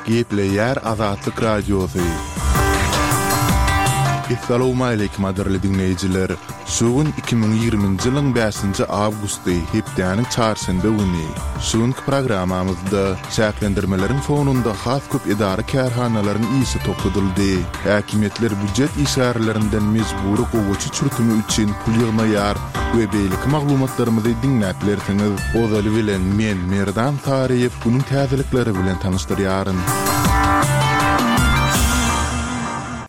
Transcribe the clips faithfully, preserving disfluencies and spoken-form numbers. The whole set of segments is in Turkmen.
Gepleýär Azatlyk Radiosy. Essalawmaleýkim gadyrly diňleýjiler! Şu gün iki müň ýigriminji ýylyň bäşinji awgusty, hepdäniň çarşenbe güni. Şu günki programmamyzda çäklendirmeleriň fonunda has köp edara-kärhanalaryň işi togtadyldy. Häkimiýetler býujet işgärlerinden mejbury gowaça çürtümi üçin pul ýygnaýar we beýleki maglumatlarymyzy diňläp bilersiňiz. Ozaly bilen men, Merdan Saryýew, günüň täzelikleri bilen tanyşdyrýaryn.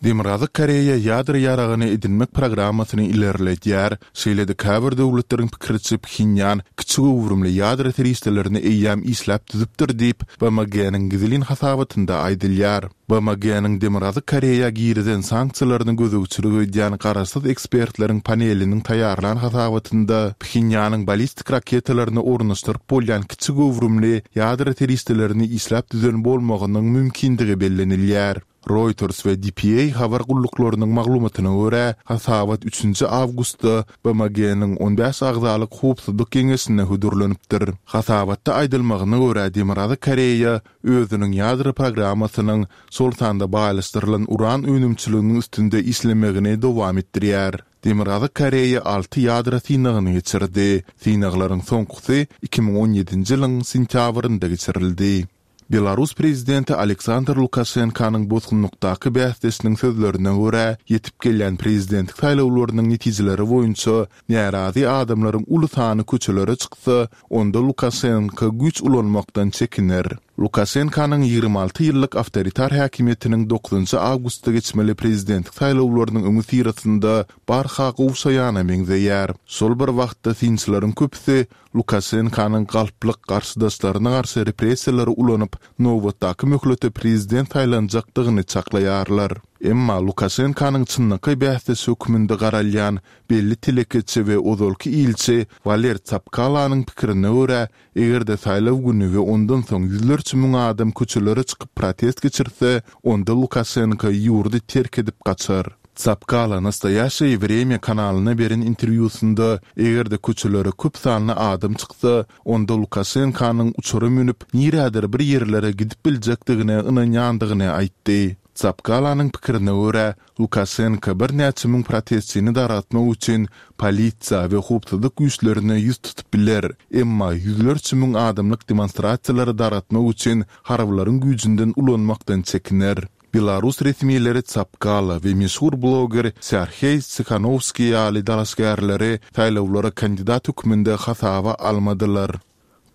Demirgazyk Koreýa ýadro ýaragyny edinmek programmasyny ilerledýär, şeýle-de käbir döwletleriň pikiriçe Phenýan kiçi göwrümli ýadro serişdelerini eýýäm işläp düzüpdir diýip, B M G-niň gizlin hasabatynda aýdylýar. B M G-niň Demirgazyk Koreýa girizen sanksiýalaryny gözegçilik edýän garaşsyz ekspertleriň paneliniň taýýarlan hasabatynda Phenýanyň ballistik raketalaryny ornaşdyryp bolýan kiçi göwrümli ýadro serişdelerini işläp düzen bolmagynyň mümkindigi bellenilýär. Reuters we D P A habar gulluklarynyň maglumatyna görä, hasabat üçünji awgustda B M G-niň on bäş agzalyk howpsuzlyk geňeşine hödürlenipdir. Hasabatda aýdylmagyna görä, Demirgazyk Koreýa özüniň ýadro programmasynyň, şol sanda baýlaşdyrylan uran önümçiliginiň üstünde işlemegini dowam etdirýär. Demirgazyk Koreýa alty ýadro synagyny geçirdi. Synaglaryň soňkusy iki müň on ýedinji ýylyň sentýabrynda geçirildi. Belarus prezidenti Aleksandr Lukaşenkanyň bosgunlykdaky bäsdeşiniň sözlerine görä, ýetip gelýän prezidentlik saýlawlarynyň netijeleri boýunça närazy adamlaryň uly sany köçelere çyksa, onda Lukaşenko güýç ulanmakdan çekiner. Lukaşenkanyň ýigrimi alty ýyllyk awtoritar häkimiýetiniň dokuzynjy awgustda geçmeli prezidentlik saýlawlarynyň öňüsyrasynda barha gowşaýana meňzeýär. Şol bir wagtda synçylaryň köpüsi Lukaşenkanyň galplyk garşydaşlaryna garşy repressiýalary ulanyp, nobatdaky möhlete prezident saýlanjakdygyny çaklaýarlar. Emma Lukaşenkanyň çynlakaý bäsdeşi hökmünde garalýan belli telekeçi we ozalky ilçi Waler Tsapkalanyň pikirine görä, eger-de saýlaw güni we ondan soň ýüzlerçe müň adam köçelere çykyp protest geçirse, onda Lukaşenko ýurdy terk edip gaçar. Tsapkala Nastoýaşeýe Wremýa kanalyna beren interwýusynda, eger-de köçelere köp sanly adam çyksa, onda Lukaşenkanyň uçara münüp, nirädir bir ýerlere gidip biljekdigine ynanýandygyny aýtdy. Tsapkalanyň pikirine görä, Lukaşenko birnäçe müň protestçini dargatmak üçin polisiýa we howpsuzlyk güýçlerine ýüz tutup biler, emma ýüzlerçe müň adamlyk demonstrasiýalary dargatmak üçin harbylaryň güýjünden ulanmakdan çekiner. Belarus resmileri Tsapkala we meşhur bloger Serheý Tsikhanowskiý ýaly dalaşgärleri saýlawlara kandidat hökmünde hasaba almadylar.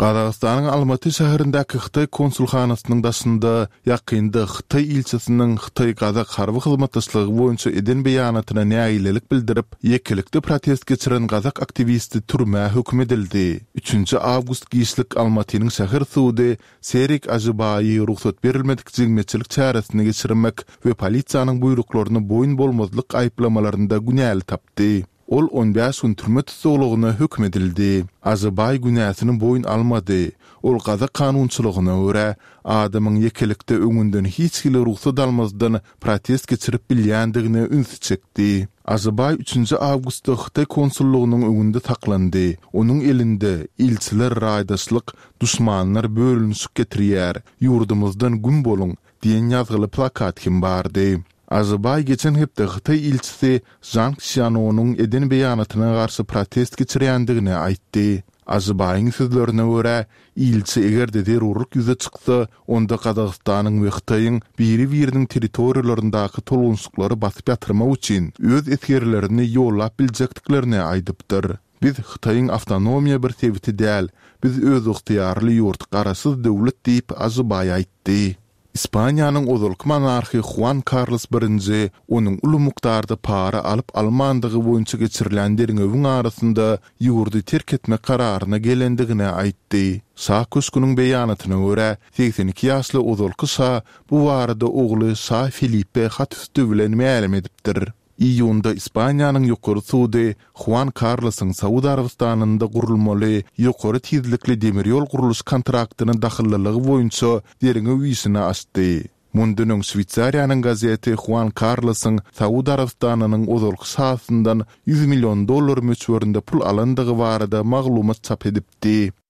Gazagystanyň Almaty şäherindäki Hytaý konsulhanasynyň daşynda ýakynda Hytaý ilçisiniň Hytaý-Gazak harby hyzmatdaşlygy boýunça eden beýanatyna nägilelik bildirip, ýekelikde protest geçiren gazak aktiwisti türmä höküm edildi. Üçünji awgust giçlik Almatynyň şäher sudy Serik Ažybaýy rugsat berilmedik jemgyýetçilik çäresini geçirmek we polisiýanyň buýruklaryna boýun bolmazlyk aýyplamalarynda günäli tapdy. Ol on bäş gün türme tussaglygyna höküm edildi. Ažybaý günäsini boýun almady. Ol gazak kanunçylygyna görä, adamyň ýekelikde öňünden hiç hili rugsat almazdan protest geçirip bilýändigine ünsi çekdi. Ažybaý üçünji awgustda Hytaý konsullygynyň öňünde saklandy. Onuň elinde Ilçiler raýdaşlyk, duşmanlar bölünişik getirýär, ýurdumyzdan güm boluň diýen ýazgyly plakat hem bardy. Ažybaý geçen hepde Hytaý ilçisi Žang Sýanonyň eden beýanatyna garşy protest geçirýändigini aýtdy. Ažybaýyň sözlerine görä, ilçi eger-de zerurlyk ýüze çyksa, onda Gazagystanyň we Hytaýyň biri-biriniň territoriýalaryndaky tolgunşyklary basyp ýatyrmak üçin öz esgerlerini ýollap biljekdiklerini aýdypdyr. Biz Hytaýyň awtonomiýa bir sebiti däl, biz özygtyýarly ýurt, garaşsyz döwlet diýip, Ažybaý aýtdy. Ispaniýanyň ozalky monarhy Huan Karlos birinji onuň uly mukdarda para alyp-almandygy boýunça geçirilen derňewiň arasynda ýurdy terk etmek kararyna gelendigini aýtdy. Şa köşgüniň beýanatyna görä, segsen iki ýaşly ozalky şa bu barada ogly şa Filipe hat üsti bilen mälim edipdir. Iýunda Ispaniýanyň ýokary sudy Huan Karlosyň Saud Arabystanynda gurulmaly ýokary tizlikli demir ýol gurluş kontraktyna dahyllylygy boýunça derňew işini açdy. Mundan öň Şweýsariýanyň gazeti Huan Karlosyň Saud Arabystanynyň ozalky şasyndan ýüz million dollar möçberinde pul alandygy barada maglumat çap edipdi.